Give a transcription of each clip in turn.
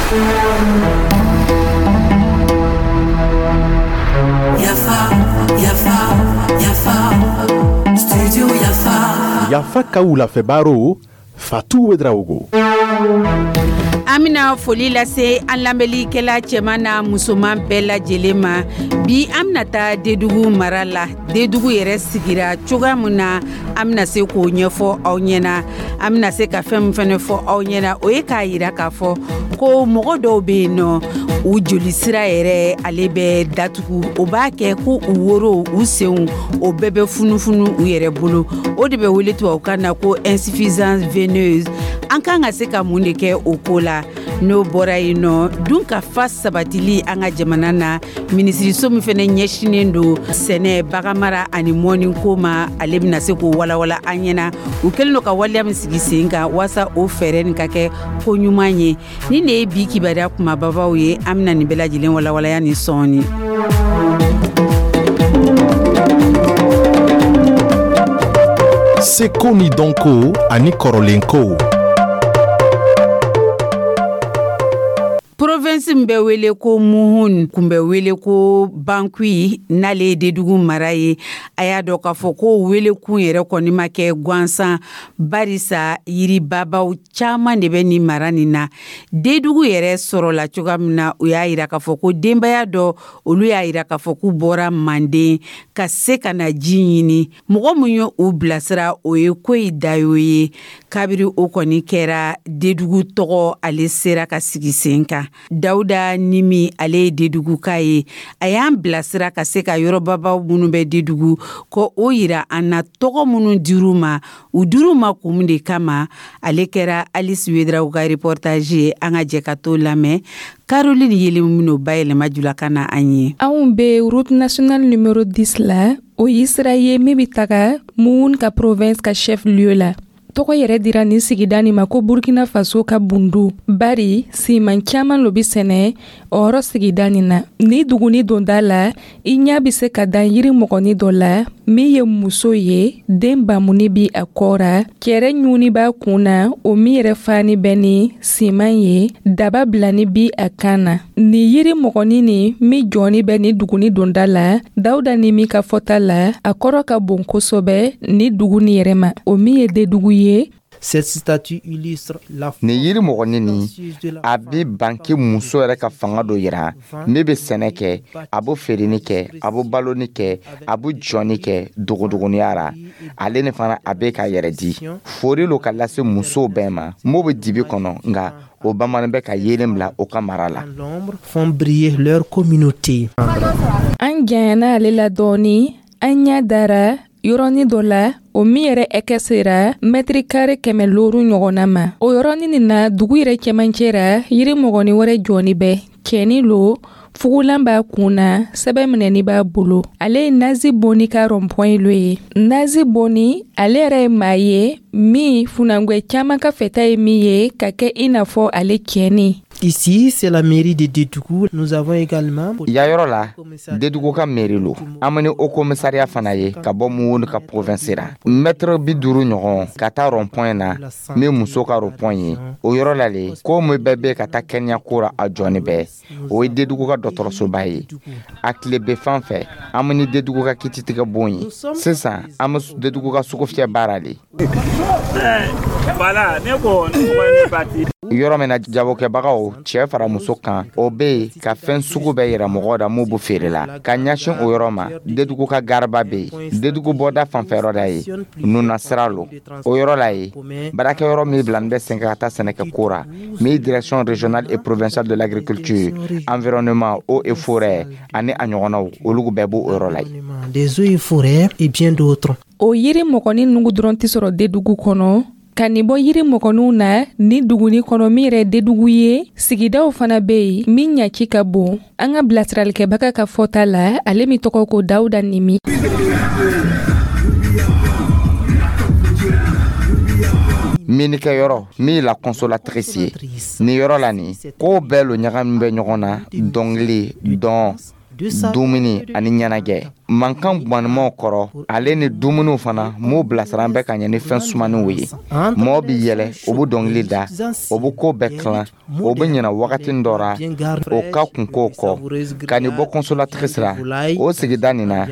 Yafa, yafa, yafa, studio Yafa. Yafa ka wulafɛ baro, Fatu Ouedraogo. An bɛna foli lase an lamɛnlikɛla cɛman n'a musoman bɛɛ lajɛlen ma. Bi, an bɛna taa Dedugu mara la. Dedugu yɛrɛ sigira cogoya min na, an bɛna se k'o ɲɛfɔ aw ɲɛna. An bɛna se ka fɛn min fana fɔ aw ɲɛna, o ye k'a yira k'a fɔ ko mɔgɔ dɔw bɛ yen nɔ, u joli sira yɛrɛ, ale bɛ datugu. O b'a kɛ ko u woro, u senw, o bɛɛ bɛ funufunu u yɛrɛ bolo. O de bɛ wele tubabukan na ko insuffisance veineuse. An kan ka se ka mun de kɛ o ko la? N'o bɔra yen nɔ, dun ka fa sabatili an ka jamana na, minisiriso min fana ɲɛsinnen don sɛnɛ, baganmara ani mɔniko ma, ale bɛna se k'o walawala an ɲɛna, u kɛlen don ka waleya min sigi sen kan waasa o fɛɛrɛ nin ka kɛ ko ɲuman ye. Ni de ye bi kibaruya kumababaw ye. An bɛna nin bɛɛ lajɛlen walawalaya ni sɔɔni. Seko ni dɔnko ani kɔrɔlenkow. Province min bɛ wele ko Muhun, kun bɛ wele ko Bankui, n'ale ye Dedugu mara ye. A y'a dɔn k'a fɔ ko welekun yɛrɛ kɔni ma kɛ gansan, barisa yiribabaw caman de bɛ nin mara nin na. Dedugu yɛrɛ sɔrɔla cogoya min na, u y'a yira k'a fɔ ko denbaya dɔ, olu y'a yira k'a fɔ k'u bɔra Manden ka se ka na ji ɲini. Mɔgɔ min ye u bilasira, o ye Koyi Dayo ye. Kabiri o kɔni kɛra, Dedugu tɔgɔ ale sera ka sigi sen kan. Dawuda Nimi, ale ye Deduguka ye. A y'an bilasira ka se ka yɔrɔbabaw minnu bɛ Dedugu ko o yira an na, tɔgɔ minnu dir'u ma, u dir'u ma kun de kama. Ale kɛra Alice Ouedraogo ka reportage ye. An ka jɛ ka t'o lamɛn. Caroline Yelen min'o bayɛlɛma julakan na an ye. Anw bɛ route nationale numéro 10 la. O ye sira ye min bɛ taga Mouhoun ka province ka chef lieu la. Tɔgɔ yɛrɛ dira nin sigida nin ma ko Burkina Faso ka bundu, bari siman caman lo bi sɛnɛ o yɔrɔ sigida nin na. Ni duguni donda la, i ɲɛ bɛ se ka dan yiri mɔgɔni dɔ la min ye muso ye, den bamuni bi a kɔ ra, cɛrɛ ɲuni b'a kun na, o min yɛrɛ fani bɛ ni siman ye, daba bilani bi a kan na. Ni yiri mɔgɔni nin min jɔni bɛ ni duguni donda la, Dawuda ni min ka fɔta la, a kɔrɔ ka bon kosɛbɛ ni dugu nin yɛrɛ ma, o min ye Dedugu ye. Cette statue illustre la Nin yiri mɔgɔnin nin, a bɛ banke muso yɛrɛ ka fanga dɔ yira min bɛ sɛnɛ kɛ, a bɛ feereni kɛ, a bɛ baloni kɛ, a bɛ jɔni kɛ dogodogoniya ra. Ale ni fana, a bɛ k'a yɛrɛ di. Fori lo ka lase musow bɛɛ ma m'o bɛ dibi kɔnɔ, nka o bamanan bɛ ka yeelen bila o ka mara la. Font briller leur communauté. An janyana ale la dɔɔni, an ɲɛ dara yɔrɔnin dɔ la, o min yɛrɛ ɛkɛ sera mɛtiri kare 500 ɲɔgɔnna ma. O yɔrɔnin nin na, dugu yɛrɛ cɛmancɛ ra, yiri mɔgɔni wɛrɛ jɔni bɛ. Cɛni lo, fugulan b'a kun na, sɛbɛn minɛni b'a bolo. Ale ye Nazi Boni ka rond-point lo ye. Nazi Boni, ale yɛrɛ ye maa ye min funangwɛ caman ka fɛta ye min ye ka kɛ i n'a fɔ ale cɛni. Ici, c'est la mairie de Dédougou. Nous avons également Ya yɔrɔ la, Dedugu ka mairie lo. An bɛ ni haut commissariat fana ye ka bɔ Mouhoun ka province ra. Mètre 50 ɲɔgɔn ka taa rond point na min muso ka rond point ye. O yɔrɔ la le, ko min bɛɛ bɛ ka taa kɛnɛya ko ra, a jɔni bɛɛ. O ye Dedugu ka dɔgɔtɔrɔsoba ye. A tile bɛ fan fɛ, an bɛ ni Dedugu ka kititigɛ bon ye. Sisan, an bɛ Dedugu ka sugufiyɛ baara le. Voilà, ne ko ne mɔgɔ ye ne bati. Yɔrɔ min na jagokɛbagaw, cɛ fara muso kan, o bɛ yen ka fɛn sugu bɛɛ yira mɔgɔw la mun b'u feere la. Ka ɲɛsin o yɔrɔ ma, Dedugu ka gariba bɛ yen. Dedugu bɔda fanfɛyɔrɔ da ye nuna sira lo. O yɔrɔ la ye, baarakɛyɔrɔ min bilalen bɛ sen kan ka taa sɛnɛkɛko ra, min ye direction régionale et provinciale de l'agriculture, environnement, eau et forêt ani a ɲɔgɔnnaw, olu bɛɛ b'o yɔrɔ la yen. Des eaux et forêts et bien d'autres. O yiri mɔgɔni nugu dɔrɔn tɛ sɔrɔ Dedugu kɔnɔ. Ka nin bɔ yiri mɔgɔninw na ni duguni kɔnɔ min yɛrɛ Dedugu ye, sigidaw fana bɛ yen min ɲaci ka bon. An ka bilasiralikɛbaga ka fɔta la, ale min tɔgɔ ko Dawuda Nimi. Minikɛyɔrɔ min ye la consolatrice ye, nin yɔrɔ la nin, kow bɛɛ lo ɲagami bɛ ɲɔgɔn na: dɔnkili, dɔn, dumuni ani ɲɛnajɛ. Mankan gwanimaw kɔrɔ, ale ni dumuniw fana m'u bilasira bɛ ka ɲɛ ni fɛn sumaninw ye. Mɔɔ bi yɛlɛ, o bɛ dɔnkili da, o bɛ ko bɛɛ tilan, o bɛ ɲina wagati dɔ ra o ka kunkow kɔ. Ka nin bɔ Consolatrice ra, o sigida nin na,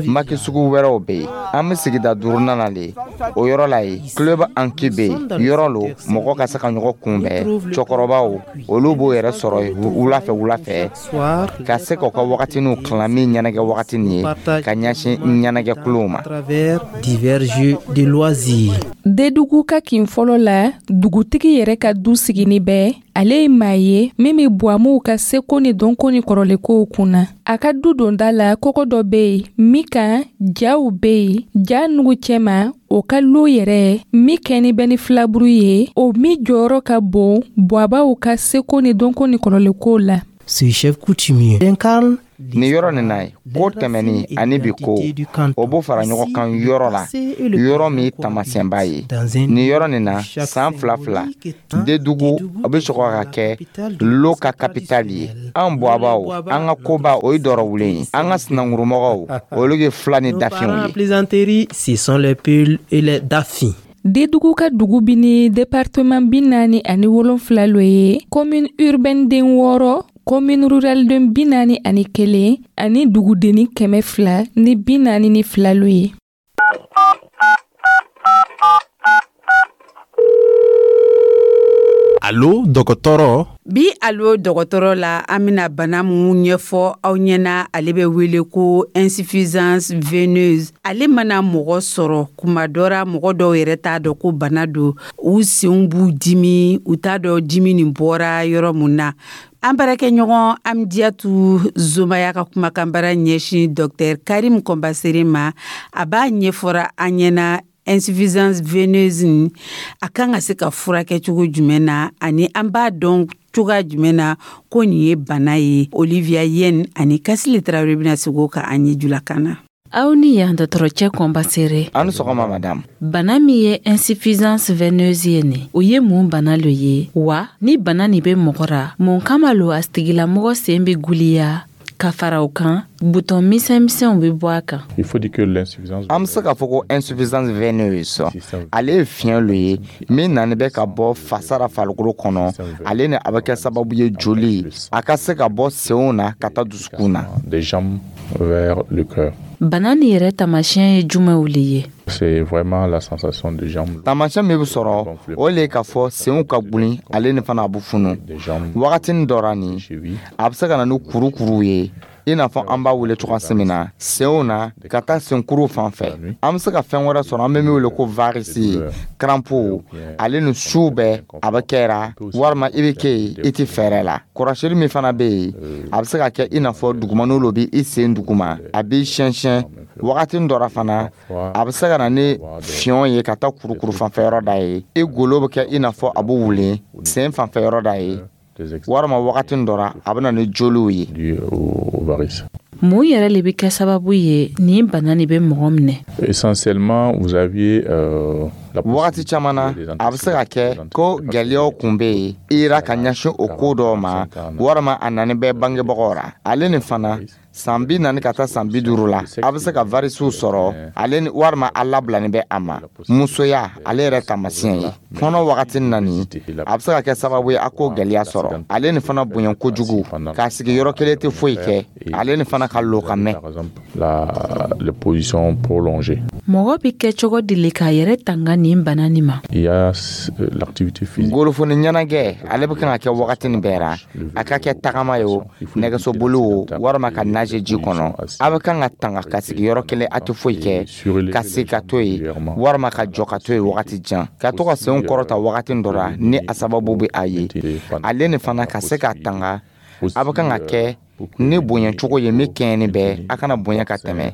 maki sugu wɛrɛw bɛ yen. An bɛ sigida duurunan na le, o yɔrɔ la yen, Club Anki bɛ yen. Yɔrɔ lo mɔgɔ ka se ka ɲɔgɔn kunbɛn. Cɛkɔrɔbaw, olu b'o yɛrɛ sɔrɔ yen wula fɛ wula fɛ, ka se k'u ka wagatiniw tilan min ɲɛnajɛ wagati nin ye ka ɲɛsin ɲɛnajɛkulow ma. Divers jeux de loisirs. Dedugu ka kin fɔlɔ la, dugutigi yɛrɛ ka du sigini bɛ. Ale ye maa ye min bɛ Buwamuw ka seko ni dɔnko ni kɔrɔlenkow kunna. A ka du donda la, kɔgɔ dɔ bɛ yen min kan jaw bɛ yen. Ja nugu cɛma, o ka lo yɛrɛ min kɛni bɛ ni filaburu ye, o min jɔyɔrɔ ka bon Buwabaw ka seko ni dɔnko ni kɔrɔlenkow la. Ce chef coutumier incarne Nin yɔrɔ nin na ye, ko tɛmɛni ani bi ko, o b'o fara ɲɔgɔn kan yɔrɔ la, yɔrɔ min taamasiyɛnba ye. Nin yɔrɔ nin na, san fila fila, Dedugu o bɛ sɔrɔ ka kɛ lo ka kapitali ye. An Buwabaw, an ka koba, o ye dɔrɔwulen ye. An ka sinankurumɔgɔw, olu ye fila ni dafinw ye. Plaisanterie, ce sont les Peuls et les Dafins. Dedugu ka dugu bi ni département 47 lo ye, commune urbaine den 6, commune rurale den 41 ani dugudenni 242 lo ye. Alo dɔgɔtɔrɔ. Bi Alo dɔgɔtɔrɔ la, an bɛna bana mun ɲɛfɔ aw ɲɛna, ale bɛ wele ko insuffisance veineuse. Ale mana mɔgɔ sɔrɔ kuma dɔ ra, mɔgɔ dɔw yɛrɛ t'a dɔn ko bana don. U senw b'u dimi, u t'a dɔn dimi nin bɔra yɔrɔ mun na. An baarakɛɲɔgɔn Amidiyatu Zomaya ka kumakanbara ɲɛsin Dr Karim Kɔnbasere ma, a b'a ɲɛfɔra an ɲɛna insuffisance veineuse a kan ka se ka furakɛ cogo jumɛn na, ani an b'a dɔn cogoya jumɛn na ko nin ye bana ye. Olivia Yen ani Kasile Tarawele bɛna segin o kan an ye julakan na. Aw ni yan, dɔgɔtɔrɔcɛ Kɔnbasere. Aw ni sɔgɔma, madame. Bana min ye insuffisance veineuse ye nin, o ye mun bana lo ye wa? Ni bana nin bɛ mɔgɔ ra, mun kama lo a tigilamɔgɔ sen bɛ guliya, ka fara o kan, butɔn misɛn misɛnw bɛ bɔ a kan? Il faut dire que l'insuffisance An bɛ se k'a fɔ ko insuffisance veineuse, ale ye fiɲɛ lo ye min nani bɛ ka bɔ fasa ra farikolo kɔnɔ. Ale ni a bɛ kɛ sababu ye joli a ka se ka bɔ senw na ka taa dusukun na. Des jambes vers le cœur. Bana nin yɛrɛ taamasiyɛn ye jumɛnw le ye? C'est vraiment la sensation de jambes. Taamasiyɛn min bɛ sɔrɔ, o le ye k'a fɔ senw ka gulin, ale ni fana a bɛ funu wagatinin dɔ ra. Nin a bɛ se ka na ni kurukuruw ye, i n'a fɔ an b'a wele cogoya min na, senw na ka taa senkuru fan fɛ. An bɛ se ka fɛn wɛrɛ sɔrɔ, an bɛ min wele ko varices, crampes, ale ni su bɛɛ a bɛ kɛra, walima i bɛ kɛ yen, i tɛ fɛɛrɛ la. Kɔrɔsili min fana bɛ yen, a bɛ se ka kɛ i n'a fɔ dugumaniw lo bɛ i sen duguma, a b'i siyɛn siyɛn wagati dɔ ra. Fana a bɛ se ka na ni fiɲɛ ye ka taa kurukuru fanfɛ yɔrɔ da ye, i golo bɛ kɛ i n'a fɔ a bɛ wulen sen fanfɛ yɔrɔ da ye, walima wagati dɔ ra a bɛ na ni joliw ye. Mun yɛrɛ le bɛ kɛ sababu ye nin bana nin bɛ mɔgɔ minɛ? Essentiellement, vous aviez Wagati caman na, a bɛ se ka kɛ ko gɛlɛyaw kun bɛ yen i ra ka ɲɛsin o ko dɔw ma, walima a nani bɛ bangebagaw ra. Ale ni fana, san 40 ka taa san 50 la, a bɛ se ka varisw sɔrɔ ale ni, walima a labilani bɛ a ma. Musoya, ale yɛrɛ taamasiyɛn ye kɔnɔ wagati nani, a bɛ se ka kɛ sababu ye a k'o gɛlɛya sɔrɔ. Ale ni fana, bonya kojugu, k'a sigi yɔrɔ kelen tɛ foyi kɛ, ale ni fana ka lo ka mɛn. La position prolongée. Mɔgɔ bɛ kɛ cogo di le k'a yɛrɛ tanga nin bana nin ma? Il y a l'activité physique. Golofoni ɲɛnajɛ, ale bɛ kan ka kɛ wagati nin bɛɛ ra, a ka kɛ tagama ye o, nɛgɛsoboli o, walima ka nager ji kɔnɔ. A bɛ kan ka tanga ka sigi yɔrɔ kelen, a tɛ foyi kɛ, ka sigi ka to yen, walima ka jɔ ka to yen wagati jan, ka to ka senw kɔrɔta wagati dɔ la ni a sababu bɛ a ye. Ale ni fana, ka se ka tanga, a bɛ kan ka kɛ ni bonya cogo ye min kɛɲɛni bɛɛ, a kana bonya ka tɛmɛ.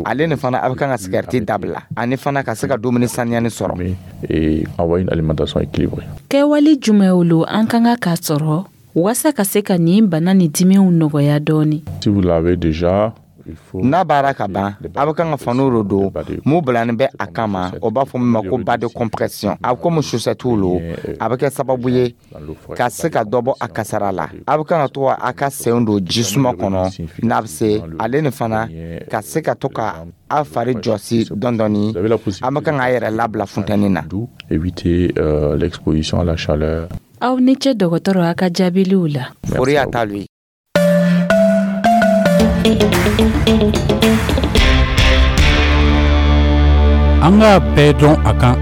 Ale ni fana, a bɛ kan ka sigariti dabila, ani fana ka se ka dumuni saniyani sɔrɔ. Et avoir une alimentation équilibrée. Kɛwale jumɛnw lo an kan ka k'a sɔrɔ waasa ka se ka nin bana ni dimiw nɔgɔya dɔɔni? Si vous l'avez déjà, N'a baara ka ban, a bɛ kan ka faniw de don mun bilani bɛ a kama, o b'a fɔ min ma ko bas de compression. A bɛ komi chaussette lo. A bɛ kɛ sababu ye ka se ka dɔ bɔ a kasara la. A bɛ kan ka to a ka senw don ji suma kɔnɔ n'a bɛ se, ale ni fana ka se ka to ka a fari jɔsi dɔɔni dɔɔni. An bɛ kan k'a yɛrɛ labila funtɛni na. Éviter l'exposition à la chaleur. Aw ni ce, dɔgɔtɔrɔ, a ka jaabiliw la. Fori y'a ta lui. An k'a bɛɛ dɔn a kan.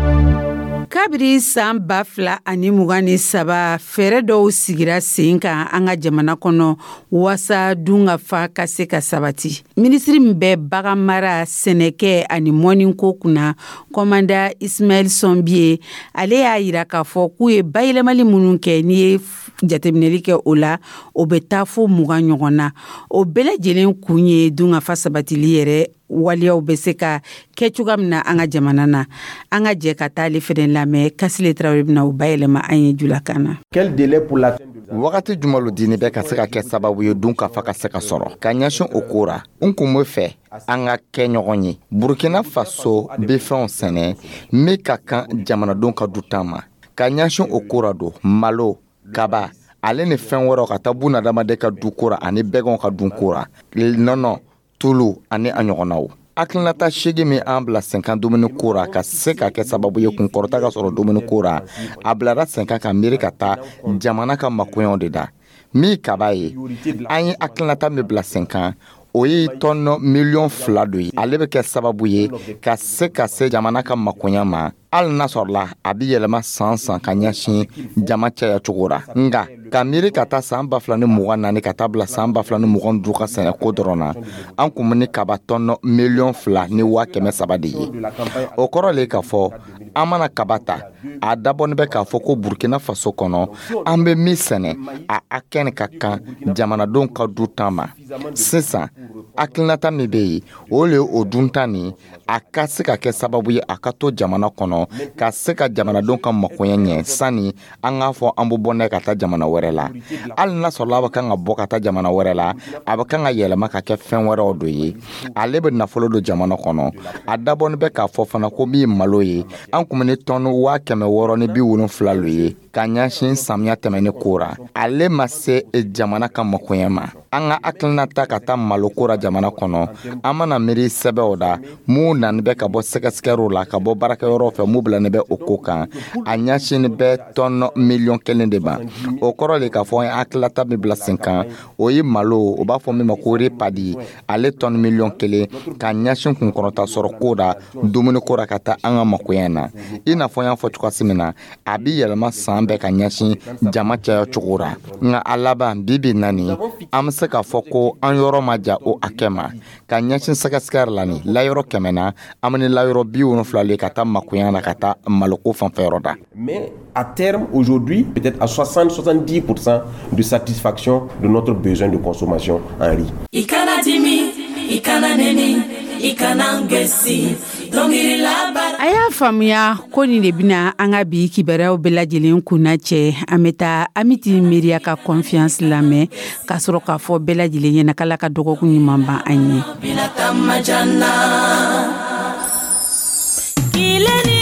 Kabiri san 2023, fɛɛrɛ dɔw sigira sen kan an ka jamana kɔnɔ waasa dunkafa ka se ka sabati. Minisiri min bɛ bagan mara, sɛnɛkɛ ani mɔniko kunna, kɔmanda Ismaël Sombié, ale y'a yira k'a fɔ k'u ye bayɛlɛmali minnu kɛ, n'i ye jateminɛli kɛ o la, o bɛ taa fo 20 ɲɔgɔn na. O bɛɛ lajɛlen kun ye dunkafa sabatili yɛrɛ waleyaw bɛ se ka kɛ cogoya min na an ka jamana na. An ka jɛ ka taa ale fɛnɛ lamɛn. Kasile Tarawele bɛna o bayɛlɛma an ye julakan na. Wagati jumɛn lo dini bɛ ka se ka kɛ sababu ye dunkafa ka se ka sɔrɔ ka ɲɛsin o ko ra? N kun bɛ fɛ an ka kɛ ɲɔgɔn ye. Burkina Faso bɛ fɛnw sɛnɛ min ka kan jamanadenw ka dutan ma ka ɲɛsin o ko ra don malo, kaba, ale ni fɛn wɛrɛw ka taa bunadamaden ka du ko ra ani bɛgɛnw ka dun ko ra, nɔnɔ, tulu ani a ɲɔgɔnnaw. Hakilinata 8 min an bila senkan dumuni ko ra ka se ka kɛ sababu ye kunkɔrɔta ka sɔrɔ dumuni ko ra, a bilara senkan ka miiri ka taa jamana ka makoɲɛw de da. Min kaba ye, an ye hakilinata min bila senkan, o ye tɔnɔ miliyɔn 2 do ye. Ale bɛ kɛ sababu ye ka se ka se jamana ka makoɲɛ ma, hali n'a sɔrɔla a bɛ yɛlɛma san san ka ɲɛsin jama caya cogo ra. Nka ka miiri ka taa san 2024 ka taa bila san 2025 ka sɛnɛko dɔrɔn na, an kun bɛ ni kaba tɔnɔ miliyɔn 2 ni 300 000 de ye. O kɔrɔ le k'a fɔ an mana kaba ta, a dabɔnin bɛ k'a fɔ ko Burkina Faso kɔnɔ, an bɛ min sɛnɛ, a hakɛ nin ka kan jamanadenw ka du tan ma. Sisan hakilinata min bɛ yen, o le ye o dunta nin a ka se ka kɛ sababu ye a ka to jamana kɔnɔ ka se ka jamanadenw ka makoɲɛ ɲɛ, sani an k'a fɔ an bɛ bɔ n'a ye ka taa jamana wɛrɛ la. Hali n'a sɔrɔla a bɛ kan ka bɔ ka taa jamana wɛrɛ la, a bɛ kan ka yɛlɛma ka kɛ fɛn wɛrɛw do ye, ale bɛ nafolo don jamana kɔnɔ. A dabɔnin bɛ k'a fɔ fana ko min ye malo ye, an kun bɛ ni tɔni 670,000 lo ye ka ɲɛsin samiya tɛmɛni ko ra. Ale ma se jamana ka makoɲɛ ma. An ka hakilinata ka taa malo ko ra jamana kɔnɔ, an mana miiri sɛbɛnw da mun nani bɛ ka bɔ sɛgɛsɛgɛriw la ka bɔ baarakɛyɔrɔw fɛ, mun bilani bɛ o ko kan, a ɲɛsinni bɛ tɔnɔ miliyɔn 1 de ma. O kɔrɔ le k'a fɔ an ye hakilinata min bila sen kan, o ye malo, o b'a fɔ min ma ko riz paddy, ale tɔni miliyɔn 1 ka ɲɛsin kunkɔrɔta sɔrɔ ko da dumuni ko ra ka taa an ka makoɲɛ na. I n'a fɔ n y'a fɔ cogoya min na, a bi yɛlɛma san bɛɛ ka ɲɛsin jama caya cogo ra. Nka a laban bi bi na nin, an bɛ se k'a fɔ ko an yɔrɔ ma ja o hakɛ ma ka ɲɛsin sɛgɛsɛgɛ la. Nin layɔrɔ 100 na, an bɛ ni layɔrɔ 70 le ka taa makoɲɛ na ka taa maloko fanfɛyɔrɔ da. Mais à terme, aujourd'hui, peut-être à 60-70% de satisfaction de notre besoin de consommation en riz. I kana dimi, i kana neni, i kana gɛsi dɔnkili laban. A y'a faamuya ko nin de bɛna an ka bi kibaruyaw bɛɛ lajɛlen kunna cɛ. An bɛ taa Amiti Miiriya ka Confiance lamɛn ka sɔrɔ k'a fɔ bɛɛ lajɛlen ɲɛna k'Ala ka dɔgɔkun ɲuman ban an ye. Binata majana. Kile ni